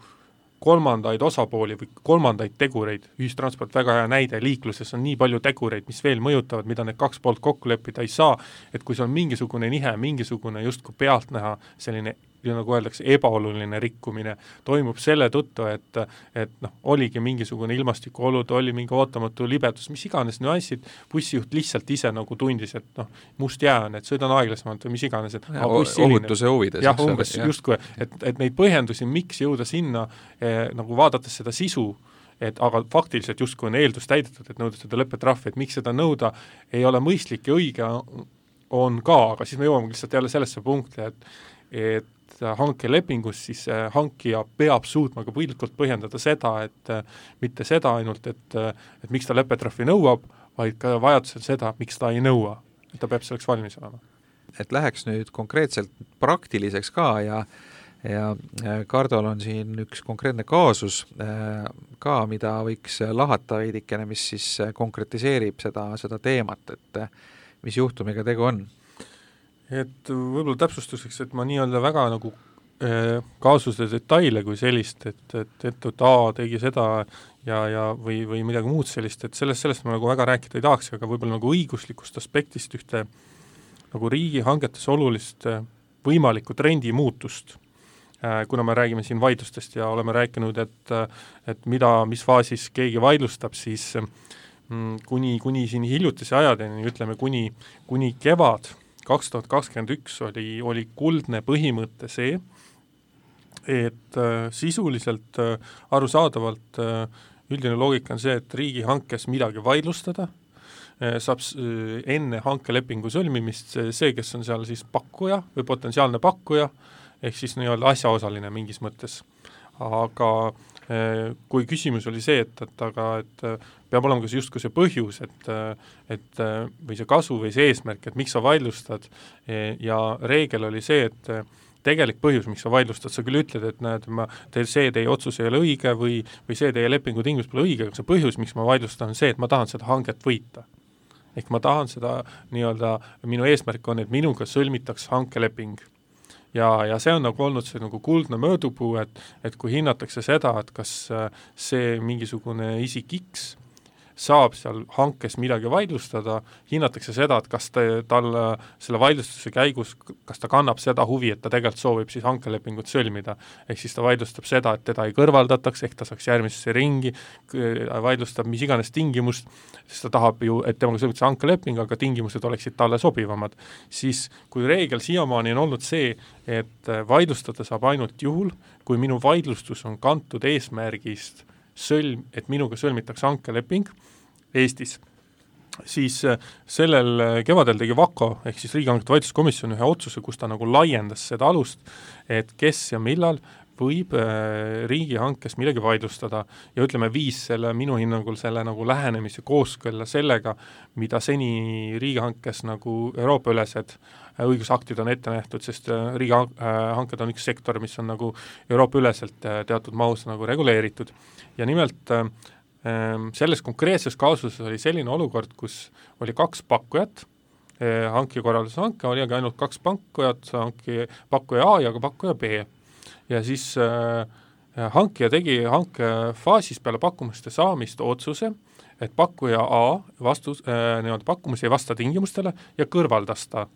kolmandaid osapooli või kolmandaid tegureid, ühistransport väga hea näide, liikluses on nii palju tegureid, mis veel mõjutavad, mida need 2 poolt kokku leppida ei saa, et kui see on mingisugune nihe, mingisugune justkui pealtnäha selline nagu öeldakse, ebaoluline rikkumine toimub selle tõttu, et oligi mingisugune ilmastikuolud, oli mingi ootamatu libedus, mis iganes nüansid, bussijuht lihtsalt ise nagu tundis, et must jää on, et sõidan aeglasemalt või mis iganes, et ohutuse huvides. Jah, umbes justkui, et neid põhjendusi, miks jõuda sinna, nagu vaadates seda sisu, aga faktiliselt justkui on eeldus täidetud, et nõuda seda leppetrahvi, et miks seda nõuda ei ole mõistlik ja õige on ka, aga siis me jõuame lihtsalt jälle sellesse punkti, et hankelepingus siis hankija peab suutma ka piltlikult põhjendada seda, et mitte seda ainult, et miks ta leppetrahvi nõuab, vaid ka vajadusel seda, miks ta ei nõua, et ta peab selleks valmis olema. Et läheks nüüd konkreetselt praktiliseks ka ja Kardol on siin üks konkreetne kaasus ka, mida võiks lahata veidikene, mis siis konkretiseerib seda teemat, et mis juhtumiga tegu on. Et võib-olla täpsustuseks, et ma nii-öelda väga nagu kaasuse detaile kui sellist, et A tegi seda või midagi muud sellist, et sellest ma nagu väga rääkida ei tahaks, aga võib-olla nagu õiguslikust aspektist ühte nagu riigihangetes olulist võimalikku trendi muutust, kuna me räägime siin vaidlustest ja oleme rääkinud, et mis faasis keegi vaidlustab, siis kuni siin hiljutise ajadeni, ütleme kuni kevad 2021 oli kuldne põhimõte see, et sisuliselt arusaadavalt üldine loogika on see, et riigihankes midagi vaidlustada, saab enne hankelepingu sõlmimist see, kes on seal siis pakkuja või potentsiaalne pakkuja, ehk siis nii-öelda asjaosaline mingis mõttes. Aga kui küsimus oli see, et peab olema ka justkui see põhjus, et või see kasu või see eesmärk, et miks sa vaidlustad, ja reegel oli see, et tegelik põhjus, miks sa vaidlustad, sa küll ütled, et näed, see teie otsus ei ole õige või see teie lepingu tingimus pole õige, aga see põhjus, miks ma vaidlustan, on see, et ma tahan seda hanget võita. Ehk ma tahan seda nii-öelda, minu eesmärk on, et minuga sõlmitaks hankeleping. Ja see on nagu olnud see nagu kuldne möödupuu, et kui hinnatakse seda, et kas see mingisugune isik X saab seal hankes midagi vaidlustada, hinnatakse seda, et kas tal selle vaidlustuse käigus, kas ta kannab seda huvi, et ta tegelikult soovib siis hankelepingut sõlmida. Ehk siis ta vaidlustab seda, et teda ei kõrvaldataks, ehk ta saaks järgmisesse ringi, vaidlustab mis iganes tingimust, sest ta tahab ju, et temaga sõlmitakse hankeleping, aga tingimused oleksid talle sobivamad. Siis kui reegel siiamaani on olnud see, et vaidlustada saab ainult juhul, kui minu vaidlustus on kantud eesmärgist et minuga sõlmitakse hankeleping Eestis, siis sellel kevadel tegi VAKO ehk siis riigihangete vaidluskomisjon ühe otsuse, kus ta nagu laiendas seda alust, et kes ja millal võib riigihankes midagi vaidlustada ja ütleme viis minu hinnangul selle nagu lähenemise kooskõlla sellega, mida seni riigihankes nagu Euroopa-ülesed õigusaktid on ette nähtud, sest riigihanked on üks sektor, mis on nagu Euroopa-üleselt teatud mahus nagu reguleeritud. Ja nimelt selles konkreetses kaasuses oli selline olukord, kus oli 2 pakkujat, hankekorralduse hanke oli aga ainult 2 pakkujat, pakkuja A ja pakkuja B. Ja siis hankija tegi hankefaasis peale pakkumuste saamist otsuse, et pakkuja A pakkumus ei vasta tingimustele ja kõrvaldas ta.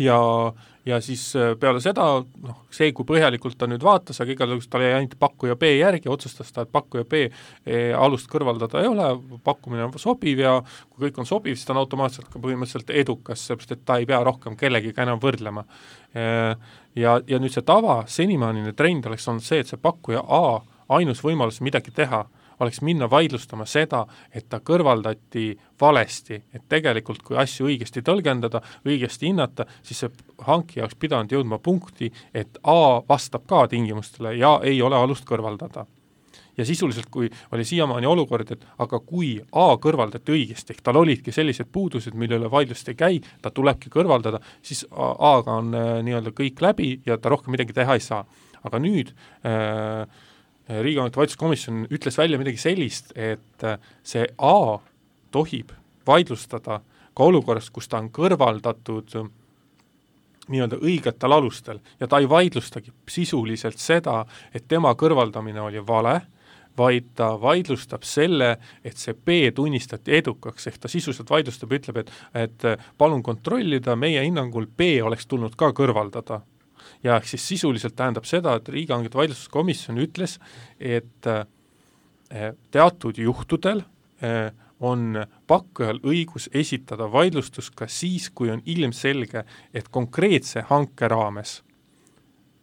Ja siis peale seda, see kui põhjalikult ta nüüd vaatas, aga igal juhul ta oli ainult pakkuja B järgi, otsustas ta, et pakkuja B alust kõrvaldada ei ole, pakkumine on sobiv ja kui kõik on sobiv, siis ta on automaatselt ka põhimõtteliselt edukas, seepärast et ta ei pea rohkem kellegiga enam võrdlema. Ja nüüd see senimaanine trend oleks olnud see, et see pakkuja A ainus võimalus midagi teha, oleks minna vaidlustama seda, et ta kõrvaldati valesti, et tegelikult kui asju õigesti tõlgendada, õigesti hinnata, siis see hankija oleks pidanud jõudma punkti, et A vastab ka tingimustele ja ei ole alust kõrvaldada. Ja sisuliselt, kui oli siiamaani olukord, et aga kui A kõrvaldati õigesti, ehk tal olidki sellised puudused, mille üle vaidlust ei käi, ta tulebki kõrvaldada, siis A-ga on nii-öelda kõik läbi ja ta rohkem midagi teha ei saa. Aga nüüd riigihangete vaidluskomisjon ütles välja midagi sellist, et see A tohib vaidlustada ka olukorras, kus ta on kõrvaldatud nii-öelda õigetel alustel ja ta ei vaidlustagi sisuliselt seda, et tema kõrvaldamine oli vale, vaid ta vaidlustab selle, et see B tunnistati edukaks, ehk ta sisuliselt vaidlustab ja ütleb, et palun kontrollida, meie hinnangul B oleks tulnud ka kõrvaldada. Ja siis sisuliselt tähendab seda, et riigihangete vaidluskomisjon ütles, et teatud juhtudel on pakkujal õigus esitada vaidlustus ka siis, kui on ilmselge, et konkreetse hanke raames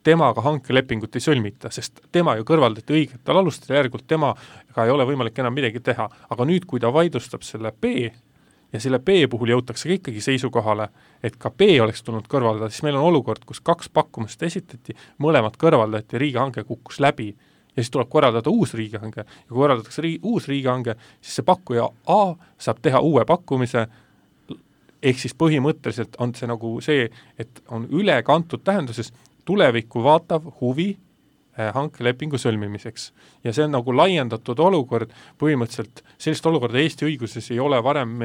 temaga hankelepingut ei sõlmita, sest tema ju kõrvaldati õigetel alustel, järgult temaga ei ole võimalik enam midagi teha. Aga nüüd, kui ta vaidlustab selle B ja selle B puhul jõutakse ikkagi seisukohale, et ka B oleks tulnud kõrvaldada, siis meil on olukord, kus 2 pakkumust esitati, mõlemad kõrvaldati, riigihange kukkus läbi ja siis tuleb korraldada uus riigihange ja kui korraldatakse uus riigihange, siis see pakkuja A saab teha uue pakkumise, ehk siis põhimõtteliselt on see nagu see, et on ülekantud tähenduses tulevikku vaatav huvi hankelepingu sõlmimiseks. Ja see on nagu laiendatud olukord, põhimõtteliselt sellist olukorda Eesti õiguses ei ole varem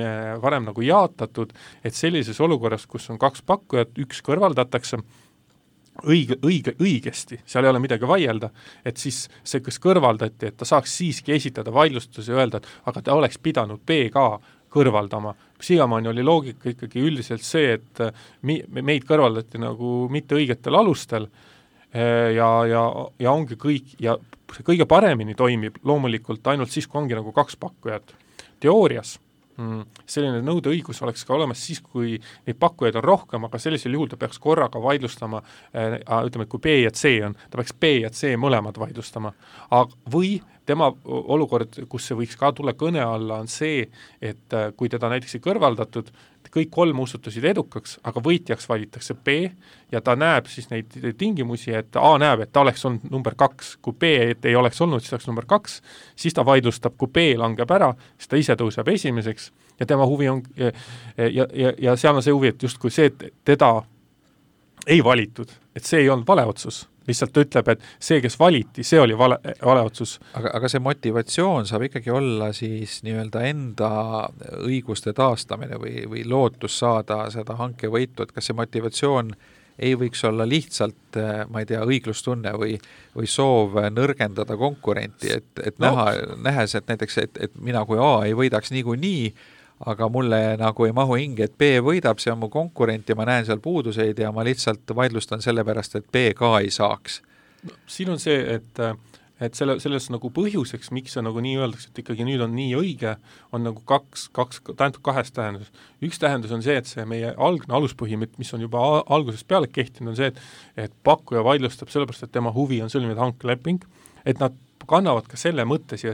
nagu jaatatud, et sellises olukorras, kus on 2 pakkujat, üks kõrvaldatakse õigesti, seal ei ole midagi vaielda, et siis see, kes kõrvaldati, et ta saaks siiski esitada vaidlustuse ja öelda, et aga ta oleks pidanud B ka kõrvaldama. Siiamaani oli loogika ikkagi üldiselt see, et meid kõrvaldati nagu mitte õigetel alustel ja ongi kõik, ja see kõige paremini toimib loomulikult ainult siis, kui ongi nagu 2 pakkujat. Teoorias selline nõudeõigus oleks ka olemas siis, kui neid pakkujaid on rohkem, aga sellisel juhul ta peaks korraga vaidlustama, ütleme, et kui B ja C on, ta peaks B ja C mõlemad vaidlustama. Või tema olukord, kus see võiks ka tulla kõne alla, on see, et kui teda näiteks ei kõrvaldatud, kõik 3 osutusid edukaks, aga võitjaks valitakse B ja ta näeb siis neid tingimusi, et A näeb, et ta oleks olnud number 2, kui B ei oleks olnud, siis oleks number 2, siis ta vaidlustab, kui B langeb ära, siis ta ise tõuseb esimeseks ja tema huvi on, ja seal on see huvi, et justkui see, et teda ei valitud, et see ei olnud vale otsus. Lihtsalt ütleb, et see, kes valiti, see oli vale otsus. Aga see motivatsioon saab ikkagi olla siis nii-öelda enda õiguste taastamine või lootus saada seda hankevõitu, et kas see motivatsioon ei võiks olla lihtsalt, ma ei tea, õiglustunne või soov nõrgendada konkurenti, et nähes, et näiteks, et mina kui A ei võidaks niikuinii, aga mulle nagu ei mahu hinge, et B võidab, see on mu konkurent ja ma näen seal puuduseid ja ma lihtsalt vaidlustan sellepärast, et B ka ei saaks. No, siin on see, et selles nagu põhjuseks, miks see nagu nii öeldakse, et ikkagi nüüd on nii õige, on nagu kaks kahest tähendus. Üks tähendus on see, et see meie algne aluspõhimõte, mis on juba algusest peale kehtinud, on see, et pakkuja vaidlustab sellepärast, et tema huvi on sõlmida hankeleping, et nad kannavad ka selle mõtte siia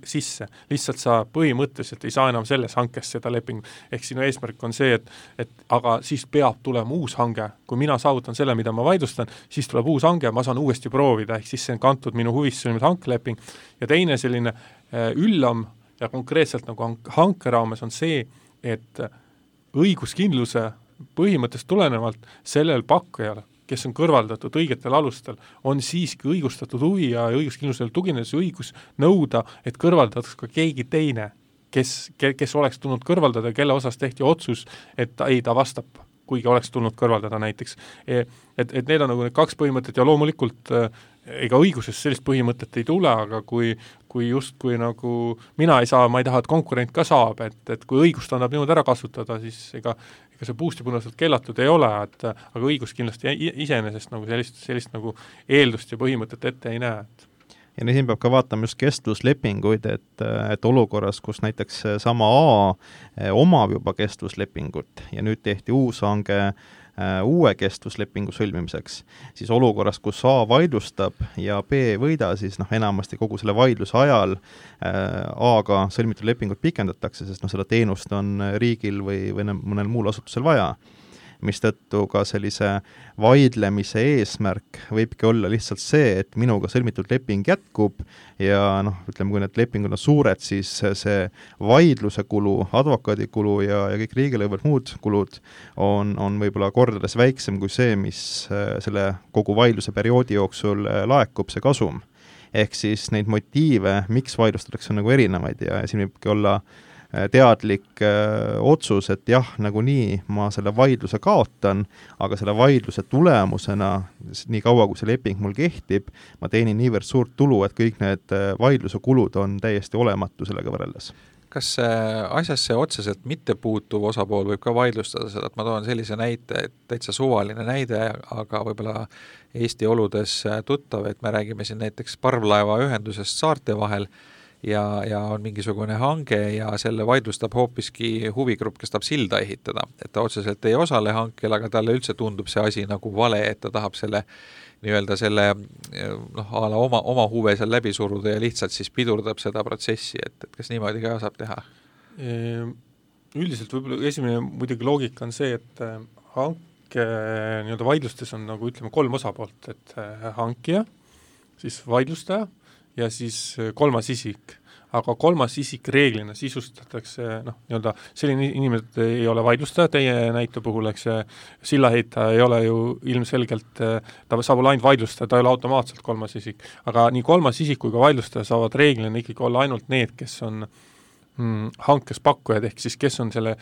sisse, lihtsalt sa põhimõtteliselt ei saa enam selles hankes seda lepingut, ehk sinu eesmärk on see, et aga siis peab tulema uus hange, kui mina saavutan selle, mida ma vaidlustan, siis tuleb uus hange, ma saan uuesti proovida, ehk siis see on kantud minu huvist sõlmida hankeleping, ja teine selline üllam ja konkreetselt nagu hanke raames on see, et õiguskindluse põhimõttest tulenevalt sellel pakkujal, kes on kõrvaldatud õigetel alustel, on siiski õigustatud huvi ja õiguskindlusel tuginedes õigus nõuda, et kõrvaldatakse ka keegi teine, kes oleks tulnud kõrvaldada, kelle osas tehti otsus, et ta vastab, kuigi oleks tulnud kõrvaldada näiteks. Et need on nagu need 2 põhimõtet ja loomulikult ega õiguses sellist põhimõtet ei tule, aga kui justkui nagu mina ei saa, ma ei taha, et konkurent ka saab, et kui õigust annab niimoodi ära kasutada, siis ega see puustipunaselt keelatud ei ole, aga õigus kindlasti iseenesest nagu sellist nagu eeldust ja põhimõtet ette ei näe. Ja siin peab ka vaatama just kestvuslepinguid, et olukorras, kus näiteks sama A omab juba kestvuslepingut ja nüüd tehti uus hange uue kestvuslepingu sõlmimiseks, siis olukorras, kus A vaidlustab ja B võida, siis enamasti kogu selle vaidluse ajal A-ga sõlmitud lepingut pikendatakse, sest seda teenust on riigil või mõnel muul asutusel vaja. Mistõttu ka sellise vaidlemise eesmärk võibki olla lihtsalt see, et minuga sõlmitud leping jätkub ja ütleme, kui need lepingud on suured, siis see vaidluse kulu, advokaadikulu ja kõik riigilõivud muud kulud on võib-olla kordades väiksem kui see, mis selle kogu vaidluse perioodi jooksul laekub, see kasum. Ehk siis neid motiive, miks vaidlustatakse, on nagu erinevaid ja siin võibki olla teadlik otsus, et jah, nagunii ma selle vaidluse kaotan, aga selle vaidluse tulemusena, nii kaua kui see leping mul kehtib, ma teenin niivõrd suurt tulu, et kõik need vaidluse kulud on täiesti olematu sellega võrreldes. Kas asjasse otseselt mitte puutuv osapool võib ka vaidlustada seda, et ma toon sellise näite, et täitsa suvaline näide, aga võib-olla Eesti oludes tuttav, et me räägime siin näiteks parvlaeva ühendusest saarte vahel, ja on mingisugune hange ja selle vaidlustab hoopiski huvigrupp, kes tahab silda ehitada. Et ta otseselt ei osale hankel, aga talle üldse tundub see asi nagu vale, et ta tahab selle nii-öelda selle oma huve seal läbi suruda ja lihtsalt siis pidurdab seda protsessi, et kas niimoodi ka saab teha? Üldiselt võib-olla esimene muidugi loogika on see, et hanke nii-öelda vaidlustes on nagu ütleme 3 osapoolt, et hankija, siis vaidlustaja ja siis 3. isik. Aga 3. isik reeglina sisustatakse, nii-öelda selline inimene ei ole vaidlustaja, teie näite puhul, eks sillaheita ei ole ju ilmselgelt, ta saab olla ainult vaidlustaja, ta ei ole automaatselt 3. isik. Aga nii 3. isik kui ka vaidlustaja saavad reeglina ikkagi olla ainult need, kes on hankes pakkujad, ehk siis kes on selle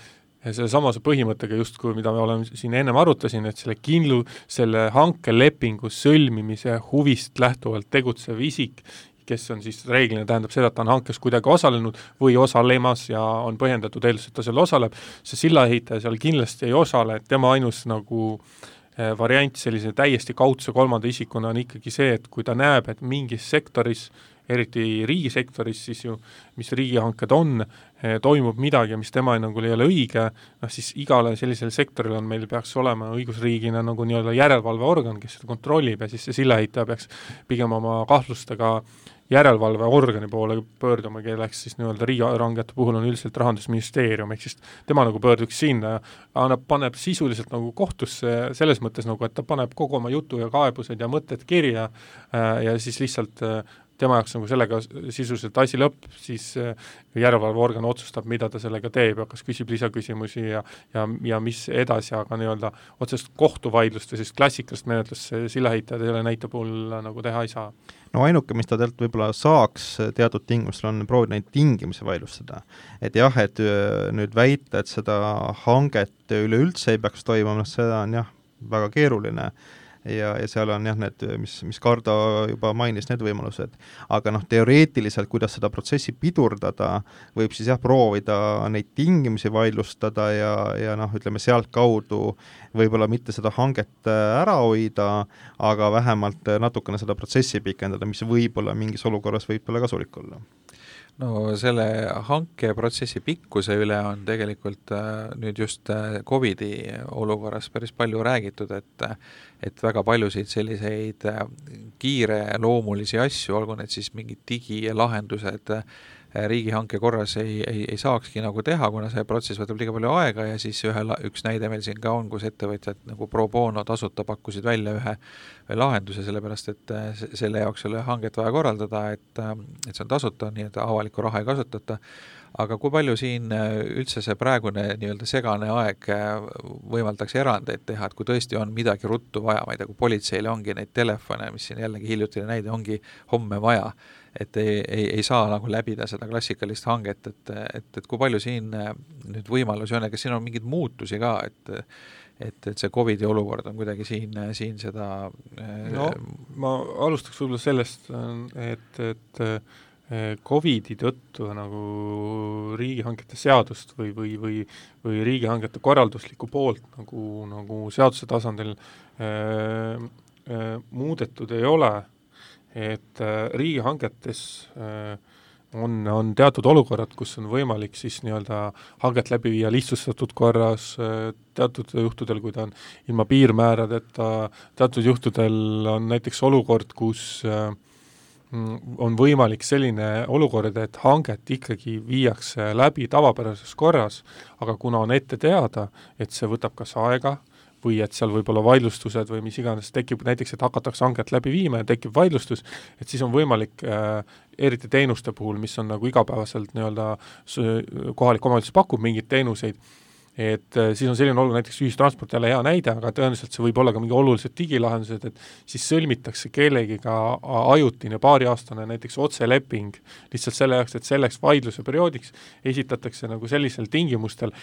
selle samase põhimõttega justkui, mida me oleme siin ennem arutasin, et selle hankelepingu sõlmimise huvist lähtuvalt tegutsev isik, kes on siis reeglina tähendab seda, et ta on hankes kuidagi osalenud või osalemas ja on põhjendatud eeldus, et ta seal osaleb, see sillaehitaja seal kindlasti ei osale, et tema ainus nagu variant sellise täiesti kaudse kolmanda isikuna on ikkagi see, et kui ta näeb, et mingis sektoris, eriti riigisektoris siis ju, mis riigihanked on, toimub midagi, mis tema hinnangul ei ole õige, siis igale sellisel sektoril on meil peaks olema õigusriigina nagu nii-öelda järelevalveorgan, kes seda kontrollib ja siis see sillaehitaja peaks pigem oma kahtlustega järelevalveorgani poole pöörduma, kelleks siis nii-öelda riigihangete puhul on üldiselt Rahandusministeerium, ehk siis tema nagu pöörduks sinna ja paneb sisuliselt nagu kohtusse selles mõttes nagu, et ta paneb kogu oma jutu ja kaebused ja mõtted kirja ja siis lihtsalt tema jaoks nagu sellega sisuliselt asi lõpp, siis järelevalveorgan otsustab, mida ta sellega teeb ja kas küsib lisaküsimusi ja mis edasi, aga nii-öelda otsest kohtuvaidlust või siis klassikalist menetlust sillaehitajad selle näite puhul nagu teha ei saa. No ainuke, mis ta tegelikult võib-olla saaks teatud tingimustel on proovida neid tingimusi vaidlustada. Et jah, et nüüd väita, et seda hanget üleüldse ei peaks toimuma, seda on jah, väga keeruline ja seal on jah, need, mis Kardo juba mainis, need võimalused. Aga teoreetiliselt, kuidas seda protsessi pidurdada, võib siis jah proovida neid tingimusi vaidlustada ja ütleme sealt kaudu võib-olla mitte seda hanget ära hoida, aga vähemalt natukene seda protsessi pikendada, mis võib-olla mingis olukorras võib-olla kasulik olla. No selle hankeprotsessi pikkuse üle on tegelikult nüüd just COVID-i olukorras päris palju räägitud, et väga paljusid selliseid kiireloomulisi asju, olgu need siis mingid digilahendused riigihanke korras ei saakski nagu teha, kuna see protsess võtab liiga palju aega ja siis üks näide meil siin ka on, kus ettevõtjad nagu pro bono tasuta pakkusid välja ühe lahenduse, sellepärast et selle jaoks ei ole hanget vaja korraldada, et see on tasuta, nii et avalikku raha ei kasutata. Aga kui palju siin üldse see praegune nii-öelda segane aeg võimaldaks erandeid teha, et kui tõesti on midagi ruttu vaja, ma ei tea, kui politseile ongi neid telefone, mis siin jällegi hiljutine näide ongi homme vaja, et ei saa nagu läbida seda klassikalist hanget, et kui palju siin nüüd võimalusi on ja kas siin on mingeid muutusi ka, et see COVID-i olukord on kuidagi siin seda... No, ma alustaks võib-olla sellest, et COVID-i tõttu nagu riigihangete seadust või riigihangete korralduslikku poolt nagu seaduse tasandil muudetud ei ole, et riigihangetes on teatud olukorrad, kus on võimalik siis nii-öelda hanget läbi viia lihtsustatud korras, teatud juhtudel, kui ta on ilma piirmääradeta, teatud juhtudel on näiteks olukord, kus on võimalik selline olukord, et hanget ikkagi viiakse läbi tavapärases korras, aga kuna on ette teada, et see võtab kas aega või et seal võib olla vaidlustused või mis iganes tekib, näiteks, et hakatakse hanget läbi viima ja tekib vaidlustus, et siis on võimalik eriti teenuste puhul, mis on nagu igapäevaselt nii-öelda kohalik omavalitsus pakub mingeid teenuseid, et siis on selline olukord, näiteks ühistransport jälle hea näide, aga tõenäoliselt see võib olla ka mingi olulised digilahendused, et siis sõlmitakse kellegiga ajutine paariaastane näiteks otseleping lihtsalt selle jaoks, et selleks vaidluse perioodiks esitatakse nagu sellisel tingimustel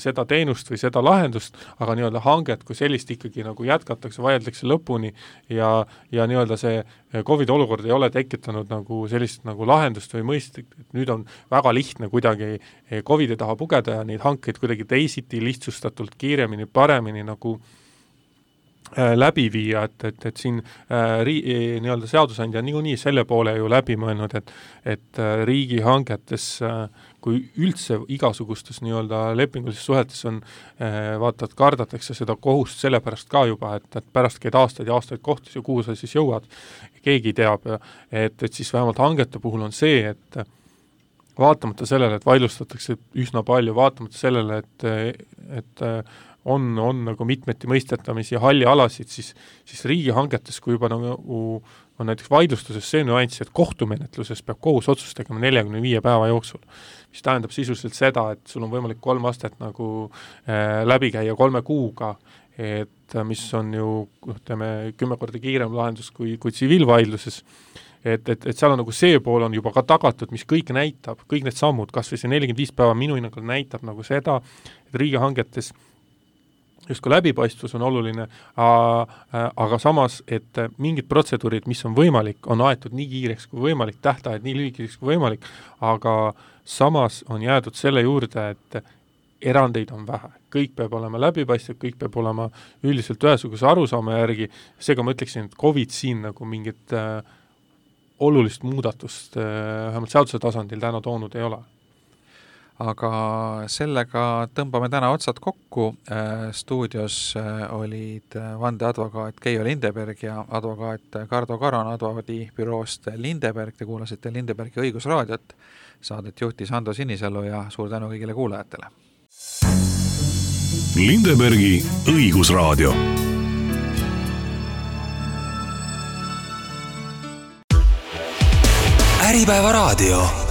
seda teenust või seda lahendust, aga nii-öelda hanget kui sellist ikkagi nagu jätkatakse, vaieldakse lõpuni ja nii-öelda see COVID olukord ei ole tekitanud nagu sellist nagu lahendust või mõistet, et nüüd on väga lihtne kuidagi COVID-i taha pugeda ja neid hankeid kuidagi teisiti lihtsustatult, kiiremini, paremini nagu läbi viia, et siin nii-öelda seadusandja on niikuinii selle poole ju läbi mõelnud, et riigihangetes, kui üldse igasugustes nii-öelda lepingulises suhetes on, vaatad, kardatakse seda kohust sellepärast ka juba, et pärast käid aastaid ja aastaid kohtus ja kuhu sa siis jõuad, keegi teab, et siis vähemalt hangete puhul on see, et vaatamata sellele, et vaidlustatakse üsna palju, vaatamata sellele, et on nagu mitmeti mõistetamisi ja halli alasid, siis riigihangetes, kui juba nagu on näiteks vaidlustuses see nüanss, et kohtumenetluses peab kohus otsust tegema 45 päeva jooksul, mis tähendab sisuliselt seda, et sul on võimalik 3 astet nagu läbi käia 3 kuuga, et mis on ju 10 korda kiirem lahendus kui tsiviilvaidluses, et seal on nagu see pool on juba ka tagatud, mis kõik näitab, kõik need sammud, kas või see 45 päeva minu hinnangul näitab nagu seda, et riigihangetes justkui läbipaistvus on oluline, aga samas, et mingid protseduurid, mis on võimalik, on aetud nii kiireks kui võimalik, tähtajad nii lühikeseks kui võimalik, aga samas on jäädud selle juurde, et erandeid on vähe. Kõik peab olema läbipaistev, kõik peab olema üldiselt ühesuguse arusaama järgi, seega ma ütleksin, et COVID siin nagu mingit olulist muudatust vähemalt seaduse tasandil täna toonud ei ole. Aga sellega tõmbame täna otsad kokku. Stuudios olid vandeadvokaat Keijo Lindeberg ja advokaat Kardo Karan advokaadibüroost Lindeberg. Te kuulasite Lindebergi õigusraadiot. Saadet juhtis Ando Sinisalu ja suur tänu kõigile kuulajatele. Lindebergi õigusraadio. Äripäeva raadio.